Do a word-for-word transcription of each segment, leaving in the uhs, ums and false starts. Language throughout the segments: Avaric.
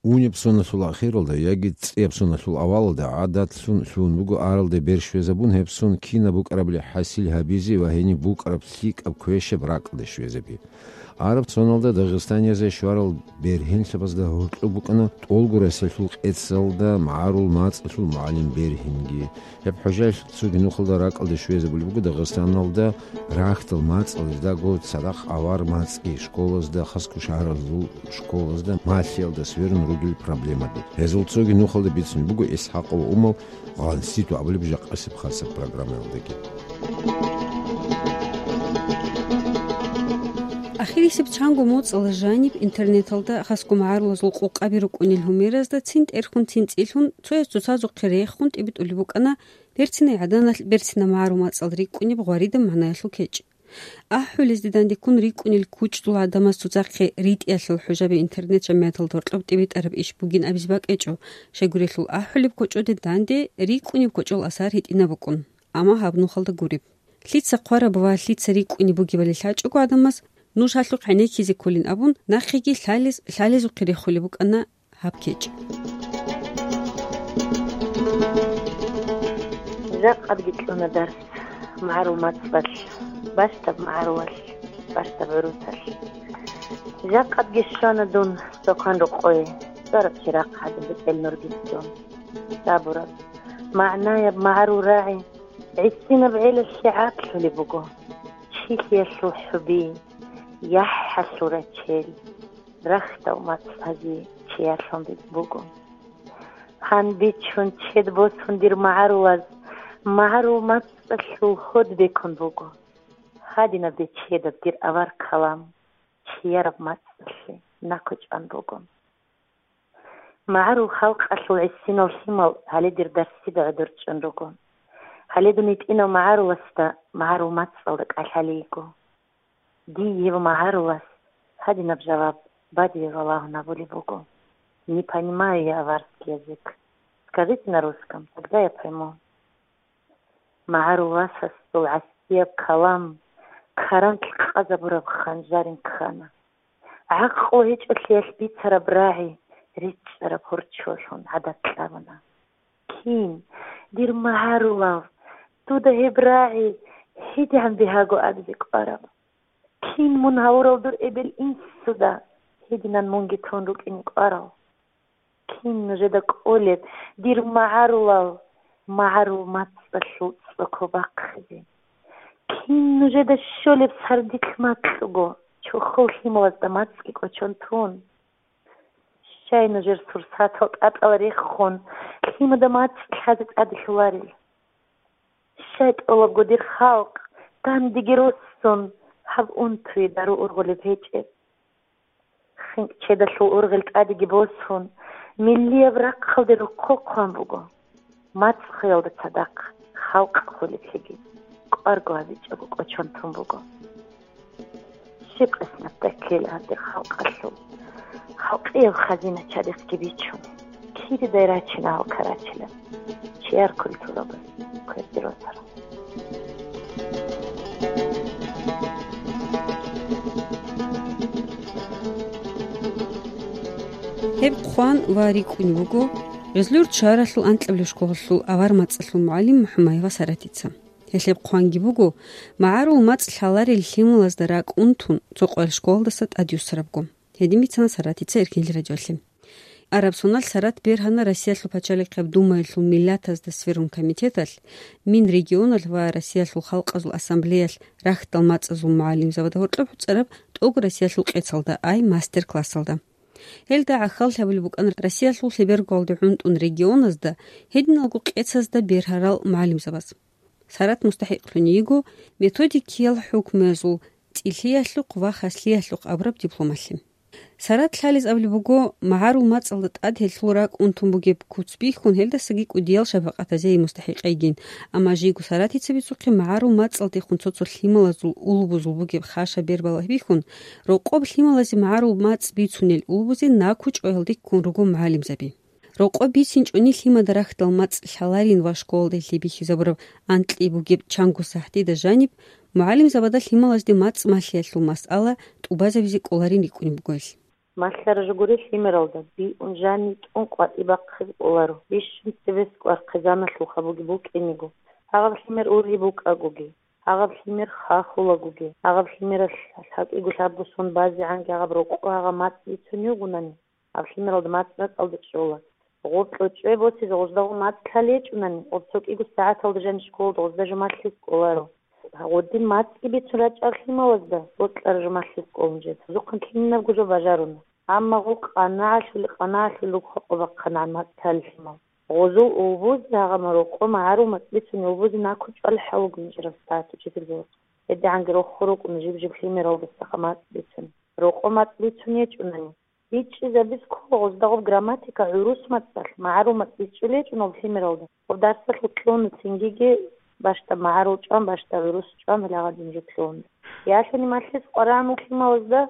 Унеб соналъул ахиралда яги цӀияб соналъул авалалда гӀадатлъун лъугьун буго аралде бер щвезабун гьеб сон кинаб букӀарабали хӀасил гьабизе ва гьениб букӀараб лъикӀаб квешаб ракӀалде щвезаби. Араб соналда дагъистаниязе щварал бергьенлъабазда гьоркьоб букӀана тӀолго Россиялъул къецалда магӀарул мацӀалъул мугӀалим бергьинги. Гьеб хӀужаялъ цоги нухалда ракӀалде щвезабулеб буго Дагъистаналда рахьдал мацӀалъ, жидерго цадахъ авар мацӀги, школазда, хасго шагьаралъул школазда, малъиялда сверун ругел проблемаби. Гьезул цоги нухалда бицун буго Исхакъов Умал «Гъанситу» абулеб жакъасеб хасаб программаялдаги. Ахирисеб чанго моцӀала жаниб интернеталда хасго магӀарулазул къокъаби рукӀунел гьумеразда цин тӀерхьун, цин цӀилъун, цояс цоцазухъе рехун тӀибитӀулеб букӀана берцинай гӀаданалъ берцинаб магӀарул мацӀал рикӀкӀунеб гъваридаб магӀнаялъул кечӀ. АхӀулезде дандеккун рикӀкӀунел кучӀдул гӀадамаз цоцахъе ритӀиялъул хӀужаби интернет-жамигӀаталда гьоркьоб тӀибитӀараб иш бугин абизе бакӀ гьечӀо, щайгурелъул ахӀулеб кочӀоде данде рикӀкӀунеб кочӀол асар гьитӀинаб букӀун, амма гьаб нухалда гуреб. Лъица хъвараб ва лъица рикӀкӀунеб бугебали лъачӀого гӀадамаз, нуж гьалъухъ гӀенеккизе кколин абун, нахъеги лъалез-, лъалезухъе рехулеб букӀана гьаб кечӀ. Жакъадги кьуна дарс магӀарул мацӀалъ, бащдаб магӀарулалъ, бащдаб гӀурусалъ. Жакъадги щвана дун Сокан рокъое, цӀараб чирахъ гӀадин бетӀел нурги дун. Сабураб, магӀнаяб магӀарул рагӀи гӀисинаб гӀелалъе гӀакълъулеб буго. Чилъиялъул хӀуби, яхӀалъул рачел, рахьдал мацӀ гьази чиярлъун буго. Гьанбичун чед босун дир магӀарулаз, магӀарул мацӀалъул гьод бекун буго. Гьадинаб дир чедаб дир авар калам чияраб мацӀалъе накучӀан буго. МагӀарул халкъалъул гӀисинал лъимал гьале дир дарсида гӀодор чӀун руго. Гьале дун гьитӀинав магӀаруласда магӀарул мацӀалда кӀалъалей йиго. Дие гьев магӀарулас гьадинаб жаваб бадибе балагьун абулеб буго: «Не понимаю я аварский язык. Скажите на русском, тогда я пойму». МагӀарул васасул гӀасияб калам каранлъ къазабураб ханжарин ккана. ГӀакълу гьечӀолъиялъ бицараб рагӀи ричӀчӀараб гьорчолъун гӀадат кьабуна. Кин, дир магӀарулав, дуда гьеб рагӀи гьедигӀан бигьаго абизе кӀвараб? Кин мун гьавурал дур эбел-инсуда гьединан мунги тун рукӀине кӀварав? Кин нужеда кӀолеб, дир магӀарулал, магӀарул мацӀалъул цӀоко бахъизе? Кин нужеда щолеб сардилъ макьго, чохол лъималазда мацӀги кӀочон тун? Щай нужер сурсатал тӀатӀал рехун, лъимада мацӀ лъазе тӀаделъуларел? Щай тӀолабго дир халкъ, дандеги росун, гьаб унтуе дару ургъулеб гьечӀеб? ХинкӀ чедалъул ургъел тӀадеги босун, миллияб рахъалде рохъо хъван буго. МацӀ хвеялда цадахъ халкъ хвелеблъиги кӀварго гьабичӀого кӀочон тун буго. Щиб къисматда ккела гьаб дир халкъалъул? Халкъияб хазина чадихъги бичун, киридай рачина гьал карачилан, чияр культурабаз кверде росарал. Гьеб хъван ва рикӀкӀун вуго Гъезлур чаралъул анкьабилеб школалъул авар мацӀалъул мугӀалим МухӀамаева Саратица. Гьелъеб хъванги буго, магӀарул мацӀ лъаларел лъималазда ракӀ унтун, цо къоялъ школалдаса тӀадюссарабго. Гьедин бицана Саратица Эркенлъи радиолъе. Араб соналъ Сарат бергьана Россиялъул пачалихъаб Думаялъул миллатазда сверун комитеталъ, Минрегионалъ ва Россиялъул Халкъазул Ассамблеялъ рахьдал мацӀазул мугӀалимзабада гьоркьоб гьуцӀараб тӀоги Россиялъул къецалда, ай мастер-классалда. Гьелда гӀахьаллъи гьабулеб букӀана Россиялъул лъеберго гьалде гӀунтӀун регионазда, гьединалго къецазда бергьарал мугӀалимзабаз. Сарат мустахӀикълъун йиго методикиял хӀукмуязул цӀилъиялъухъ ва хаслъиялъухъ абураб дипломалъе. Сарат лъалез абулеб буго, магӀарул мацӀалда тӀад гьелъул ракӀ унтун бугеб куц бихьун, гьелдасаги кӀудиял шапакъатазе мустахӀикъ йигин, амма жийго Саратица бицухъе магӀарул мацӀалдехун цо-цо лъималазул улбузул бугеб хъаша бер балагьбихьун, рокъоб лъималазе магӀарул мацӀ бицунел улбузе накучӀо гьелде ккун руго мугӀалимзаби. Рокъоб бицинчӀони лъимада рахьдал мацӀ лъаларин ва школалда гьелъие бихьизабураб анкьи бугеб чанго сахӀтида жаниб, мугӀалимзабада лъималазде мацӀ малъиялъул масъала тӀубазабизе кӀоларин рикӀкӀунеб буго гьелъ. Малъара жо гури лъимералда, биун жани тӀун къватӀи бахъизе кӀоларо, бищун цебес кӀвар хъизаналъулха буги букӀиниго. Гьагъаб лъимер ургьиб букӀагоги, гьагъаб лъимер хахулагоги, гьагъаб лъимералъ гьакӀиго лъабго сон базегӀанги гьагъаб рокъо гьагъаб мацӀ бицунев гунани, гьаб лъимералда мацӀ ракӀалда чӀола. Гъоб кьучӀве босизе гъуждагъун мацӀ лъалечӀунани, гъоб цо кӀиго сагӀаталда жани школалда гъузда жумалъиз кӀоларо. Гъодин мацӀги бицун рачӀар лъималазда бокьара жумалъиз кӀолун жеда. Гьезухъан кинабго жо бажаруна. Амма гъол къанагӀалъули-къанагӀалъули руго къо бахъана мацӀ лъалел лъимал. Гъозул улбузе гьагъаб рокъо магӀарул мацӀ бицун улбузе накучӀвал хӀалугун жирав стат учитель. ГьедигӀанги рохго рукӀуна жиб-жиб лъимералдасаха мацӀ бицун. Рокъо мацӀ бицун гьечӀунани, бичӀчӀизабиз ккола гъоздагъуб грамматика гӀурус мацӀалъ, магӀарул мацӀ бичӀчӀулечӀун гъоб лъимералда. Гъоб дарсалъул кьуна цингиги бащдаб магӀарул чӀван, бащдаб гӀурус чӀван, гьалагъадин жо кьуна. Ялъуни малъиз къварагӀун лъималазда,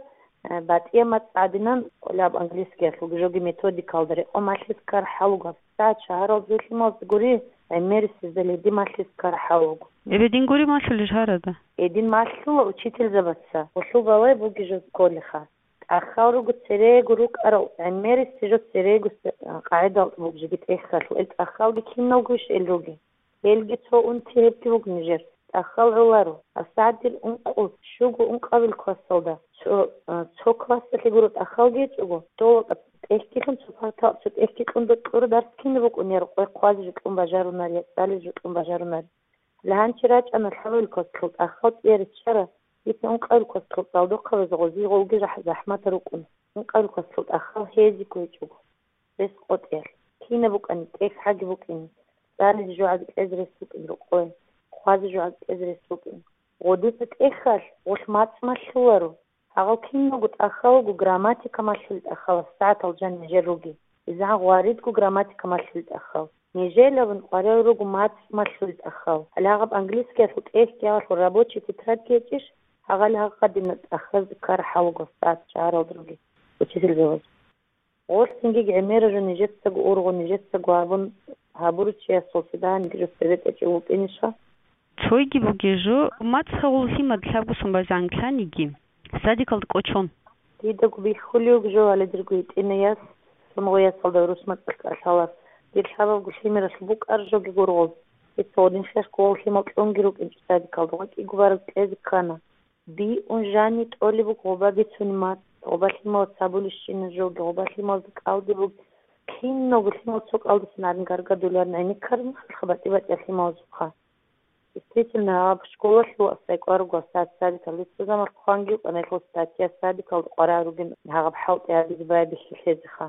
э, батӀияб мацӀ гӀадинан, кӀолеб английскиялъулги жоги методикалда рекъон малъиз ккар хӀалугаб. СагӀат шагьаралда лъималазда гури, гӀемерисезда леди малъиз ккар хӀалугу. Эбедин гури малъулел шагьаралда? Эдин малъула учительзабаца. Гъолъул балай буги жо кколеха. ТӀахал руго церего рукӀарал, гӀемерисел жо церего с-, къагӀидал бугжиги тӀехьалъул. Ил тӀахалги киналгойищ ил руги? Гьелги цо унти гьебги буго нижер. ТӀахал гӀоларо. ГьабсагӀат дир ункъо, щуго ункъабил классалда. Цо, а, цо классалъе гуро тӀахалги гьечӀого. Дола тӀехьгилъун цо парта, цо тӀехьги кьун докьура дарс кинаб букӀунеб, къвай хъвазе жо кьун бажарунар, я цӀализе жо кьун бажарунар. Лъанчи рачӀана лъабабил классалъул тӀахал цӀияриччара, дица ункъабил классалъул цӀалдохъабазе гъозие гъолги жахӀ-, захӀматал рукӀун. Ункъабил классалъул тӀахал гьезиго гьечӀого. Бес къотӀиялъ. Кинаб букӀани, тӀехьаги букӀин, цӀализе жогӀаги кьезе рес букӀин рокъое, хъвазе жогӀаги кьезе рес букӀин. Гъодица тӀехьалъ гъолъ мацӀ малъуларо. Гьагъал киналго тӀахьалго грамматика малъулел тӀахьал, сагӀатал жан нижер руги. Изан гъваридго грамматика малъулел тӀахьал. Нижелабун къваригӀел руго мацӀ малъулел тӀахьал. Гьале гьаб английскиялъул тӀехьги гьалъул рабочий тетрадьги гьечӀищ, гьагъал гьагъадина тӀахьазда ккар хӀалуго сагӀат шагьаралда руги учительзабаз. Гъолъ цинги гӀемера жо нижецаго ургъун, нижецаго гьабун, гьабурав чиясул цо дагьабги жо цебетӀечӀев вукӀинищха? Цойги бугей жо, мацӀ гьавуллъи мад лъабго сон базегӀан лъаниги, садикалда кӀочон. Дидаго бихьулев жо гьале дирго гьитӀинай яс, цо гъой ясалда гӀурус мацӀалъ кӀалъалар. Дир лъабабго лъимералъ букӀар жоги гургъуб. Дица гъодин хехго гъов лъимал кьунги рукӀинчӀо садикалда, гъой кӀиго бараб кьезе ккана. Биун жани тӀолеб буго гъоба бицунеб мацӀ, гъоба лъималаз цабулищина жоги, гъоба лъималазда кӀалдиб буго. Киналго лъимал цо кӀалдисан гьарин гаргадуларин гӀенеккараб мехалъха батӀи-батӀияб лъималазухъа. Действительно, гьаб школалъул асдай кӀвар руго сад-, садикалде цо заман хъванги вукӀана гьелъул статья, садикалда къваригӀун ругин гьагъаб хӀалтӀи гьабизе байбихьи лъезеха.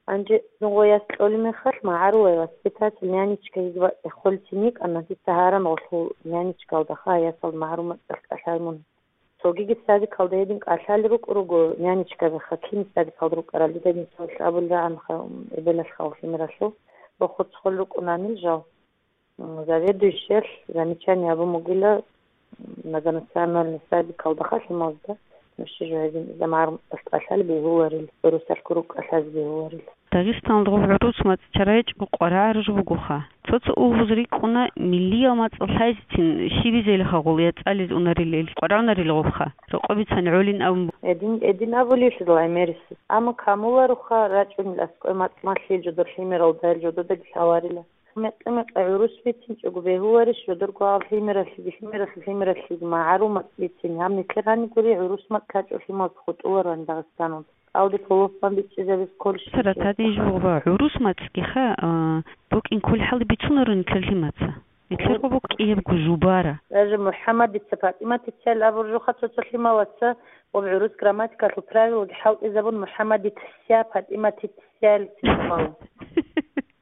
Гьанже цо гъой яс кьолеб мехалъ, магӀарулай воспитатель, нянечка гьезда бакӀ холецин йикӀана, дица гьаран гъолъул нянечкалдаха ясалда магӀарул мацӀалъ кӀалъай мун. Цогиги садикалда гьедин кӀалъалел рукӀун руго нянечкабиха, кин садикалда рукӀарал, дида мисалалъ абулеб рагӀанха, эбелалъха гъолъ лъимералъул, бохурцӀ хъулел рукӀунанил жал. М, заведующиялъ замечание гьабун бугила, многонациональный садикалдаха лъималазда, нуша жо гьезин иза магӀарул мацӀалъ кӀалъалел бегьуларел, гӀурусалъ ккураб кӀалъазе бегьуларел. Дагъистаналда гъоб гӀурус мацӀ чара гьечӀого къваригӀараб жо бугоха. Цо-цо улбуз рикӀкӀуна миллиял мацӀ лъайзецин щибизелиха гъол я цӀализ унарилел, къваригӀунарил гъобха, рокъоб бицани гӀолин абун. Эдин, эдин абулелъидал гӀемерисез. Амма камулароха рачӀунел аскӀой мацӀ малъил жодор лъимералда, гьел жододаги лъаларила. Мекъи-мекъи гӀурус бицинчӀого бегьуларищ жодорго гьал лъимералъеги, лъимералъ-, лъимералъеги магӀарул мацӀ бицин? Гьаб нилъер гьаниб гури гӀурус мацӀ лъачӀо лъималаз хутӀулароан Дагъистаналда. КӀалдиб гьолоф бан бичӀчӀизабиз кколищ? Цо ратаде ижбугъба гӀурус мацӀгиха, а, букӀин кколеб хӀалда бицунаро нилъер лъимаца. Нилъер гъо букӀиябго жубара. Даже МухӀаммадица ПатӀиматицайл абуржуха цо-цо лъималаца, ва гӀурус грамматикалъул правилоги хӀалтӀизабун МухӀаммадиця ПатӀиматицялицин хъвала.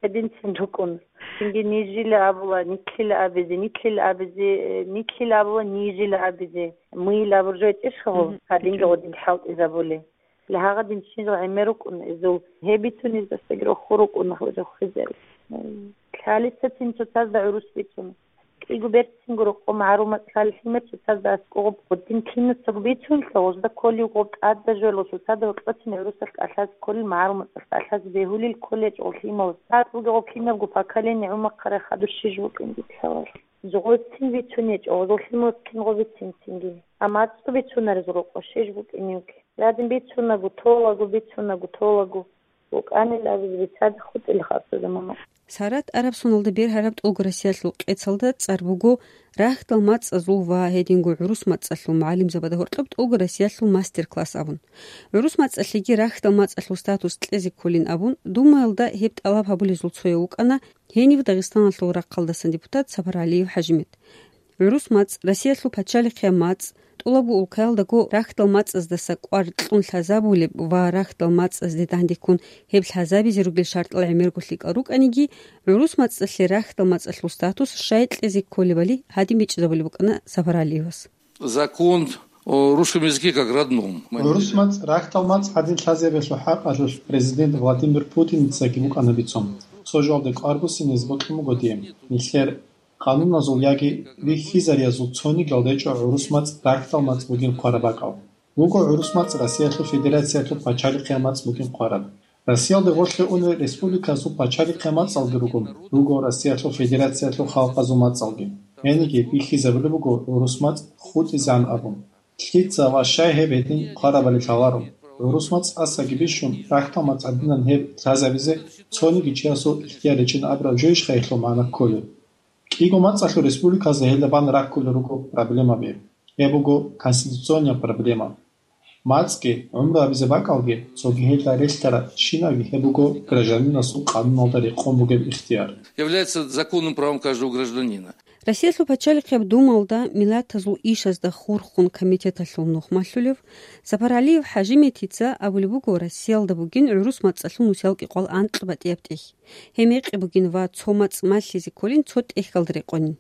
Гьединцин рукӀун. Цинги нижила абула, нитлъила абизе, нитлъила абизе, э, нитлъила абула, нижила абизе. Мыйил абуржу гьечӀищ гьаб? Мгм. Гьадинги гъодинги хӀалтӀизабули. Лъагагъадин щинал гӀемер рукӀун изул. Гьеб бицунез дасаги роху рукӀун рохизел. Лъалицацин цоцазда гӀурус бицун. КӀиго берцинго рокъо магӀарул мацӀ лъалел лъимер цоцазда аскӀоб гъодин кинацаго бицунелъа, гъозда кколев гъоб тӀадаб жоялъул цоцазда гьоркьоцин гӀурусалъ кӀалъазе кколел, магӀарул мацӀалъ кӀалъазе бегьулел кколел гьечӀо гъоб лъималаз. ЦӀакъ бугеб гъоб кинабго поколение гӀумахъарай хадур щиж букӀин дитлъалал. Зугъой цин бицун гьечӀо, гъозул лъималаз кинго бицин цинги. Амма мацӀго бицунарез рокъо щиж букӀиневги. Гьадин бицунаго, толаго, бицунаго, толаго. ВукӀанил абизе бицаде хутӀила хасуда мама. Сарат Арабсоналда бергьараб ТӀолго Россиялъул къецалда цӀар буго «Рахьдал мацӀазул ва гьединго гӀурус мацӀалъул мугӀалимзабазда гьоркьоб ТӀолго Россиялъул мастер-класс» абун. ГӀурус мацӀалъеги рахьдал мацӀалъул статус кьезе кколин абун, Думаялда гьеб тӀалаб гьабулезул цояв вукӀана гьенив Дагъистаналъул рахъалдасан депутат Сапаралиев ХӀажимет. ГӀурус мацӀ, Россиялъул пачалихъе мацӀ, тӀолабго улкаялдаго рахьдал мацӀаздаса кӀвар кьун лъазабулеб ва рахьдал мацӀазде дандеккун гьеб лъазабизе ругел шартӀал гӀемерго лъикӀал рукӀаниги, гӀурус мацӀалъе рахьдал мацӀалъул статус щай кьезе кколебали гьадин бичӀчӀизабулеб букӀана Сапаралиевас. Закон о русском языке как родном. ГӀурус мацӀ рахьдал мацӀ гьадин лъазабиялъул хӀакъалъулъ президент Владимир Путиницаги букӀана бицун. Цо жоялде кӀвар буссинезе бокьун буго дие. Нилъер къануназул яги вихьизариязул цонигал гьечӀо гӀурус мацӀ рахьдал мацӀ бугин хъвараб бакӀал. Буго гӀурус мацӀ Россиялъул Федерациялъул пачалихъе мацӀ бугин хъвараб. Россиялде гъорлъе унел республиказул пачалихъе мацӀалги руго, руго Россиялъул Федерациялъул халкъазул мацӀалги. Гьениги бихьизабулеб буго гӀурус мацӀ хутӀизегӀан абун. Лъица ва щай гьеб гьедин хъварабали лъаларо. ГӀурус мацӀ тӀасаги бищун, рахьдал мацӀ гьадинан гьеб лъазабизе цониги чиясул ихтияр гьечӀин абураб жойищха гьелъул магӀна кколеб? КӀиго мацӀалъул республиказда гьелда бан раккулел руго проблемаби. Гьеб буго конституционная проблема. МацӀги, гӀумру гьабизе бакӀалги, цоги гьелда релълъараб щинабги гьеб буго гражданинасул къануналда рекъон бугеб ихтияр. Является законным правом каждого гражданина. Россиялъул пачалихъеб Думалда миллатазул ишазда хурхун комитеталъул нух малъулев Сапаралиев ХӀажиметтица абулеб буго, Россиялда бугин гӀурус мацӀалъул нусиялги къвал анкьа батӀияб тӀехь. Гьеб мекъи бугин ва цо мацӀ малъизе кколин цо тӀехьалда рекъонин.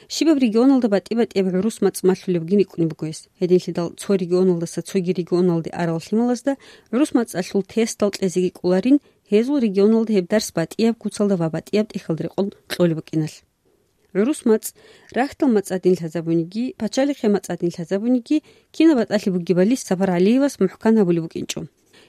Щибаб регионалда батӀи-батӀияб гӀурус мацӀ малъулеб бугин рикӀкӀунеб буго гьес. Гьединлъидал цо регионалдаса цоги регионалде арал лъималазда гӀурус мацӀалъул тестал кьезеги кӀоларин, гьезул регионалда гьеб дарс батӀияб куцалда ва батӀияб тӀехьалда рекъон кьолеб букӀиналъ. ГӀурус мацӀ, рахьдал мацӀ гьадин лъазабуниги, пачалихъе мацӀ гьадин лъазабуниги, кинаб батӀалъи бугебали Сапаралиевас мухӀкан гьабулеб букӀинчӀо.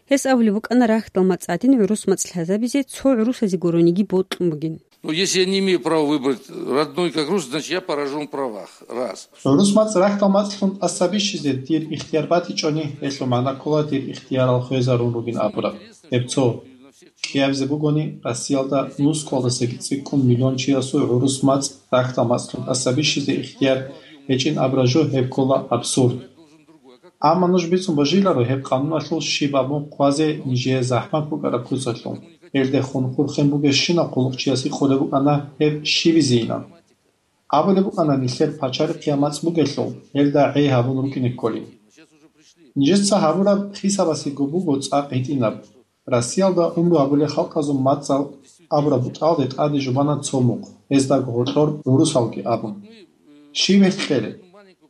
Гьес абулеб букӀана рахьдал мацӀ гьадин гӀурус мацӀ лъазабизе цо гӀурусазе гурониги бокьун бугин. Ну, если я не имею права выбрать родной как рус, значит, я поражен в правах. Раз. ГӀурус мацӀ рахьдал мацӀлъун тӀаса бищизе дир ихтияр батичӀони, гьелъул магӀна ккола дир ихтиярал хвезарун ругин абураб. Гьеб цо. КӀиабизе бугони, Россиялда нускалдасаги цӀикӀкӀун миллион чиясул гӀурус мацӀ рахьдал мацӀлъун тӀаса бищизе ихтияр гьечӀин абураб жо гьеб ккола абсурд. Амма нуж бицун божиларо гьеб къануналъул щиб абун хъвазе нижее захӀмат букӀараб куцалъул. Гьелдехун хурхен бугебщинаб хъулухъчияс гьикъулеб букӀана гьеб щибизейилан. Абулеб букӀана нилъер пачалихъе мацӀ бугелъул, гьелда гӀей гьабун рукӀине кколин. Нижеца гьабураб хисабасего буго цӀакъ гьитӀинаб. Россиялда гӀумру гьабулел халкъазул мацӀал абураб бутӀалде тӀаде жубана цо мухъ, гьездаго гьоркьор гӀурусалги абун. Щиб гьелъ кьелеб?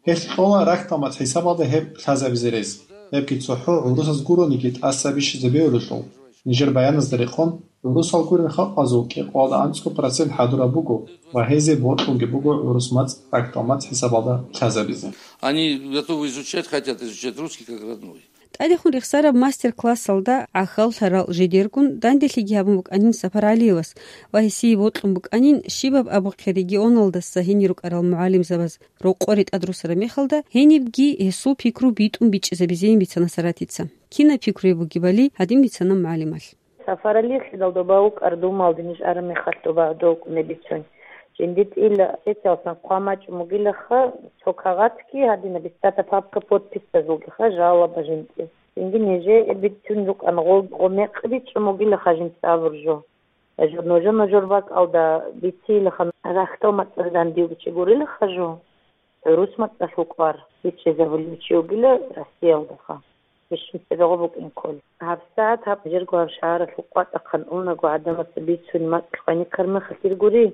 Гьелъ кьола рахьдал мацӀ хӀисабалда гьеб лъазабизе рес. Гьебги цохӀо гӀурусаз гурониги тӀаса бищизе бегьулелъул, нижер баяназда рекъон, гӀурусал гурел халкъазул кӀикъоялда анцӀго процент хӀадураб буго ва гьезие бокьунги буго гӀурус мацӀ рахьдал мацӀ хӀисабалда лъазабизе. Они готовы изучать, хотят изучать русский как родной. ТӀадехун рехсараб мастер-классалда гӀахьаллъарал жидергун данделъиги гьабун букӀанин Сапаралиевас ва гьесие бокьун букӀанин щибаб абухъе регионалдаса гьенир рукӀарал мугӀалимзабаз рокъоре тӀадрусараб мехалда гьенибги гьесул пикру битӀун бичӀчӀизабизейин бицана Саратица. Кинаб пикруе бугебали гьадин бицана мугӀалималъ. Сапаралиевлъидал доба вукӀар Думалде ниж араб мехалъ доба гӀодов вукӀунеб бицун. Жинди тӀила специалсан хъван бачӀун бугилаха, цо кагъатги гьадина бицата папка подписазулгиха жалоба жинди. Цинги нижее бицун рукӀана гъо-, гъо мекъи бичӀчӀун бугилаха жинца абур жо. Жо-, нужа-нужер бакӀалда бицейилаха рахьдал мацӀалъ дандив чи гурилаха жо. ГӀурус мацӀалъул кӀвар бичӀчӀизабулев чи вугила Россиялдаха. Бищун цебегъо букӀин кколи. ГьабсагӀат гьаб жирго гьаб шагьаралъул къватӀахъан унаго гӀадамаца бицун мацӀ хваниккар мехалъ иргури,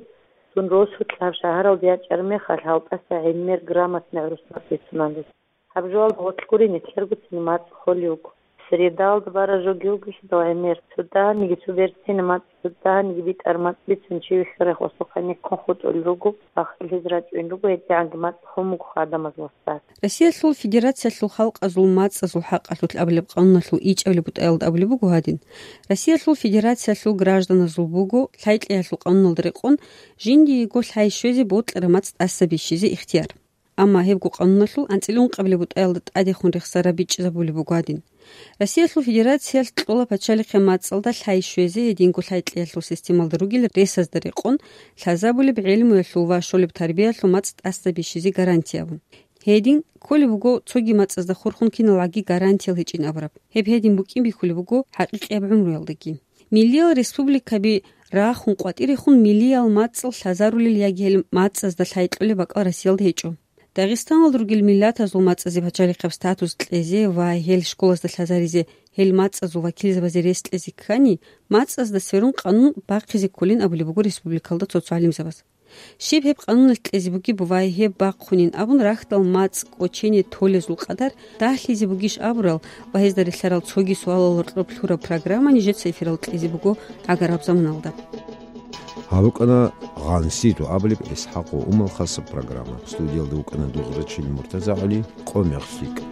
цун росулъ гьаб шагьаралде ячӀар мехалъ гьалтӀаса гӀемер грамотный гӀурус мацӀ бицунан руго. Гьаб жоялда гъоркь гури нилъерго цин мацӀ холев вуго. Средалда бара жоги вугелъидал гӀемер, цо дагьаниги цо берцина мацӀ, цо дагьаниги битӀар мацӀ бицун чи вихьарахъ осухъа никкун хутӀулел руго, бахъилъизе рачӀун руго, гьедигӀанги мацӀ хун буго гӀадамаз васдас. Россиялъул Федерациялъул халкъазул мацӀазул хӀакъалъулъ абулеб къануналъул ичӀабилеб бутӀаялда абулеб буго гьадин: Россиялъул Федерациялъул гражданазул буго, лъай-кьеялъул къануналда рекъон, жиндиего лъай щвезе бокьараб мацӀ тӀаса бищизе ихтияр. Амма гьебго къануналъул анцӀила ункъабилеб бутӀаялда тӀадехун рехсараб бичӀчӀизабулеб буго гьадин. Россиялъул Федерациялъ кьола пачалихъе мацӀалда лъай щвезе, гьединго лъай кьеялъул системалда ругел ресазда рекъон, лъазабулеб гӀелмуялъул ва щолеб тарбиялъул мацӀ тӀаса бищизе гарантия абун. Гьедин кколеб буго цоги мацӀазда хурхун киналгӀаги гарантиял гьечӀин абураб. Гьеб гьедин букӀин бихьулеб буго хӀакъикъияб гӀумруялдаги. Миллиял республикаби рахун къватӀирехун миллиял мацӀал лъазарулел яги гьел мацӀазда лъай кьолеб бакӀал Россиялда гьечӀо. Дагъистаналда ругел миллатазул мацӀазе пачалихъаб статус кьезе ва гьел школазда лъазаризе, гьел мацӀазул вакилзабазе рес кьезе ккани, мацӀазда сверун къанун бахъизе кколин абулеб буго республикалда цо-цо гӀалимзабаз. Щиб гьеб къануналъ кьезе бугеб ва гьеб бахъунин абун рахьдал мацӀ кӀочене толезул къадар дагьлъизе бугищ абурал ва гьезда релълъарал цоги суалал гьоркьоб лъураб программа нижеца эфиралда кьезе буго гӀагараб заманалда. Гьаб букӀана «Гъансидо» абулеб ИсхӀакъ ва Умал хасаб программа. Студиялда вукӀана Дузрачил МуртазагӀули, къо мехсикӀ.